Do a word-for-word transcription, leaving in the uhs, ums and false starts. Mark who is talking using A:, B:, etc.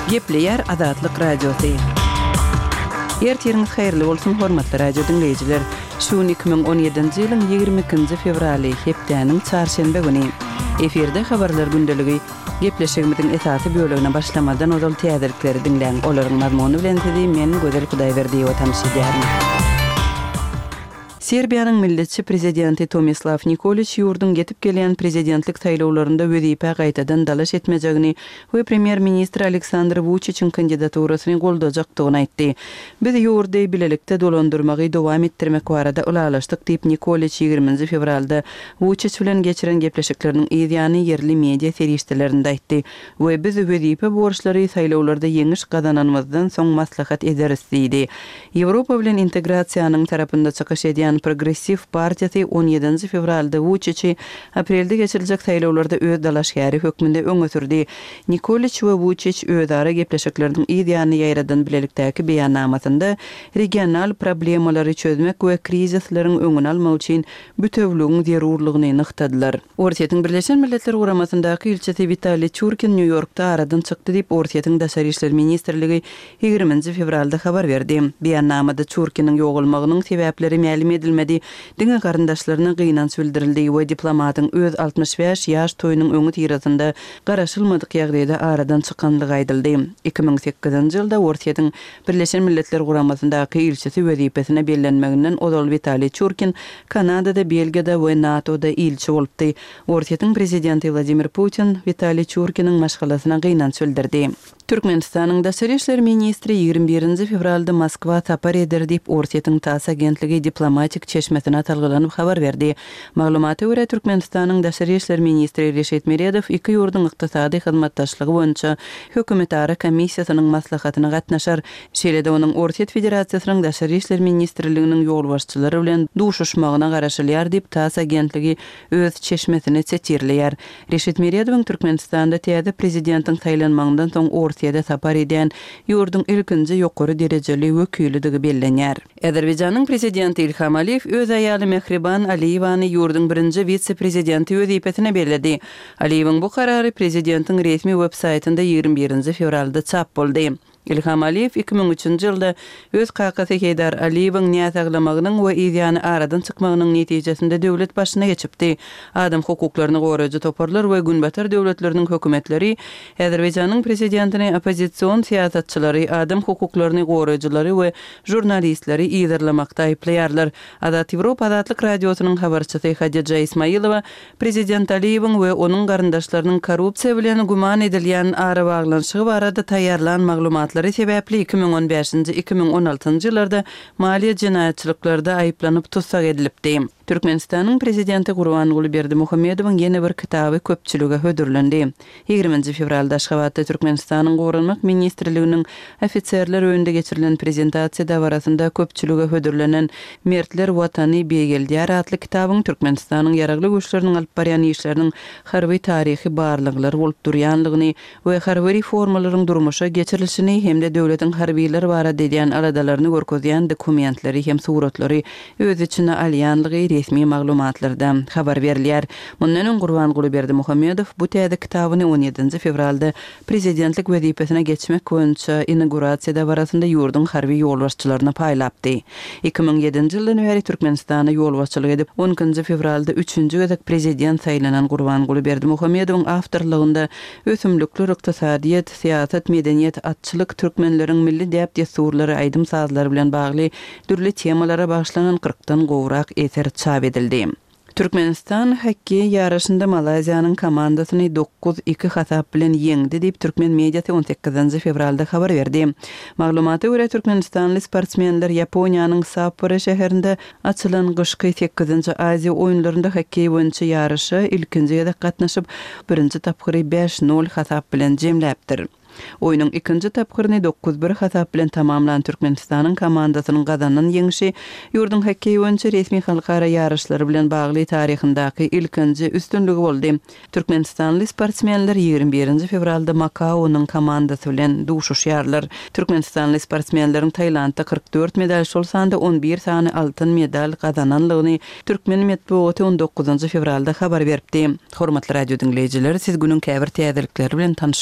A: Gepleýär Azatlyk Radiosy. Ertiriňiz haýyrly bolsun, hormatly radio diňleýjiler. Şu gün iki müň on ýedinji ýylyň ýigrimi ikinji fewraly, hepdäniň çarşenbe güni. Efirde habarlar gündeligi. Gepleşigimiziň esasy bölegine başlamazdan ozal täzelikleri diňläň. Olaryň mazmuny bilen sizi men Gözel Hudaýberdiýewa tanyş edýärin. Serbiýanyň milletçi prezidenti Tomislaw Nikoliç ýurduň ýetip gelýän prezidentlik saýlawlarynda wezipä gaýtadan dalaş etmejegini we premýer-ministr Aleksandr Wuçiçiň kandidaturasyny goldajakdygyny aýtdy. Biz ýurdy bilelikde dolandyrmagy dowam etdirmek barada ylalaşdyk diýip, Nikoliç ýigriminji fewralda Wuçiç bilen geçiren gepleşikleriniň yz ýany ýerli media serişdelerinde aýtdy we biz wezipe borçlary saýlawlarda ýeňiş gazananymyzdan soň maslahat ederis diýdi. Ýewropa bilen integrasiýanyň tarapynda çykyş edýän Progressiw partiýasy on ýedinji fewralda Wuçiçi aprelde geçiriljek saýlawlarda öz dalaşgäri hökmünde öňe sürdi. Nikoliç we Wuçiç özara gepleşikleriniň yz ýany ýaýradan bilelikdäki beýannamasynda regional problemalary çözmek we krizisleriň öňüni almak üçin bütewligiň zerurlygyny nygtadylar. Orsýetiň Birleşen Milletler Guramasyndaky ilçisi Witaliý Çurkin Nýu-Ýorkda aradan çykdy diýip, Orsýetiň Daşary işler ministrligi ýigriminji fewralda habar berdi. Beýannamada Çurkiniň ýogalmagynyň sebäpleri mälim edilmedi, diňe garyndaşlaryna gynanç bildirildi we diplomatyň öz altmyş bäş ýaş toýunyň öňüsyrasynda garaşylmadyk ýagdaýda aradan çykanlygy aýdyldy. Iki müň sekizinji ýylda Orsýetiň Birleşen Milletler Guramasyndaky ilçisi wezipesine bellenmeginden ozal Witaliý Çurkin Kanadada, Belgiýada we NATO-da ilçi bolupdy. Orsýetiň prezidenti Wladimir Putin Witaliý Çurkiniň maşgalasyna gynanç bildirdi. Türkmenistanyň daşary işler ministri ýigrimi birinji fewralda Moskwa sapar eder diýip, Orsýetiň TASS agentligi diplomatik çeşmesine salgylanyp habar berdi. Maglumata görä, Türkmenistanyň daşary işler ministri Reşit Meredow iki ýurduň ykdysady hyzmatdaşlygy boýunça hökümetara komissiýasynyň maslahatyna gatnaşar. Şeýle-de onuň Orsýet Federasiýasynyň daşary işler ministrliginiň ýolbaşçylary bilen duşuşmagyna garaşylýar diýip, TASS agentligi öz çeşmesini setirleýär. Reşit Meredowyň Türkmenistanda täze prezidentiň saýlanmagyndan soň Orsýete sapar edýän ýurduň ilkinji ýokary derejeli wekilidigi bellenýär. Azerbaýjanyň prezidenti Ilham Aliýew öz aýaly Mehriban Aliýewany ýurduň birinji wise-prezidenti wezipesine belledi. Aliýewiň bu karary prezidentiň resmi web-saýtynda ýigrimi birinji fewralda çap boldy. Ilham Aliýew iki müň üçünji ýylda öz kakasy Heýdar Aliýewiň näsaglamagynyň we yzýany aradan çykmagynyň netijesinde döwlet başyna geçipdi. Adam hukuklaryny goraýjy toparlar we Günbatar döwletleriniň hökümetleri Azerbaýjanyň prezidentini oppozision syýasatçylary, adam hukuklaryny goraýjylary we žurnalistleri yzarlamakda aýyplaýarlar. Azat Ýewropa Azatlyk Radiosynyň habarçysy Hadija Ismailowa prezident Aliýewiň we onuň garyndaşlarynyň korrupsiýa bilen güman edilýän arabaglanyşygy barada taýýarlan maglumatlary sebäpli iki müň on bäşinji, iki müň on altynjy ýyllarda maliýe jenaýatçylyklarda aýyplanyp tussag edilipdi. Türkmenistanyň prezidenti Gurbanguly Berdimuhamedowyň ýene bir kitaby köpçülige hödürlendi. Ýigriminji fewralda Aşgabatda Türkmenistanyň Goranmak ministrliginiň ofiserler öýünde geçirilen prezentasiýa dabarasynda köpçülige hödürlenen Mertler Watany beýgeldýär atly kitabyň Türkmenistanyň Ýaragly Güýçleriniň alyp barýan işleriniň harby taryhy barlyklary bolup durýanlygyny we harby reformalaryň durmuşa geçirilişini hem-de döwletiň harbylar barada edýän aladalaryny görkezýän dokumentleri hem suratlary öz içine alýanlygy resmi maglumatlarda habar berilýär. Mundan öň Gurbanguly Berdimuhamedow bu täze kitabyny on ýedinji fewralda prezidentlik wezipesine geçmek boýunça inaugurasiýa dabarasynda ýurduň harby ýolbaşçylaryna paýlapdy. Iki müň ýedinji ýyldan bäri Türkmenistana ýolbaşçylyk edip, on ikinji fewralda üçünji gezek prezident saýlanan Gurbanguly Berdimuhamedowyň awtorlygynda ösümlikler, ykdysadyýet, syýasat, medeniýet, atçylyk, türkmenleriň milli däp-dessurlary, aýdym-sazlary bilen bagly dürli temalara bagyşlanan kyrkdan gowrak eser çap edildi. Türkmenistan hokkeý ýaryşynda Malaýziýanyň komandasyny dokuz iki hasap bilen ýeňdi diýip, türkmen mediasy on sekizinji fewralda habar berdi. Maglumata görä, türkmenistanly sportsmenler Ýaponiýanyň Sapporo şäherinde açylan gyşky sekizinji Aziýa oýunlarynda hokkeý boýunça ýaryşa ilkinji gezek gatnaşyp, birinji tapgyry bäş nol hasap bilen jemläpdir. Oýnuň ikinji tapgyryny dokuz bir hasap bilen tamamlan Türkmenistanyň komandasynyň gazanan ýeňşi ýurduň hokkeý boýunça resmi halkara ýaryşlary bilen bagly taryhyndaky ilkinji üstünligi boldy. Türkmenistanly sportsmenler ýigrimi birinji fewralda Makaonyň komandasy bilen duşuşýarlar. Türkmenistanly sportsmenleriň Tailandda kyrk dört medal, şol sanda on bir sany altyn medal gazananlygyny türkmen metbugaty on dokuzynjy fewralda habar beripdi. Hormatly radio diňleýjiler, siz günüň käbir täzelikleri bilen tanyş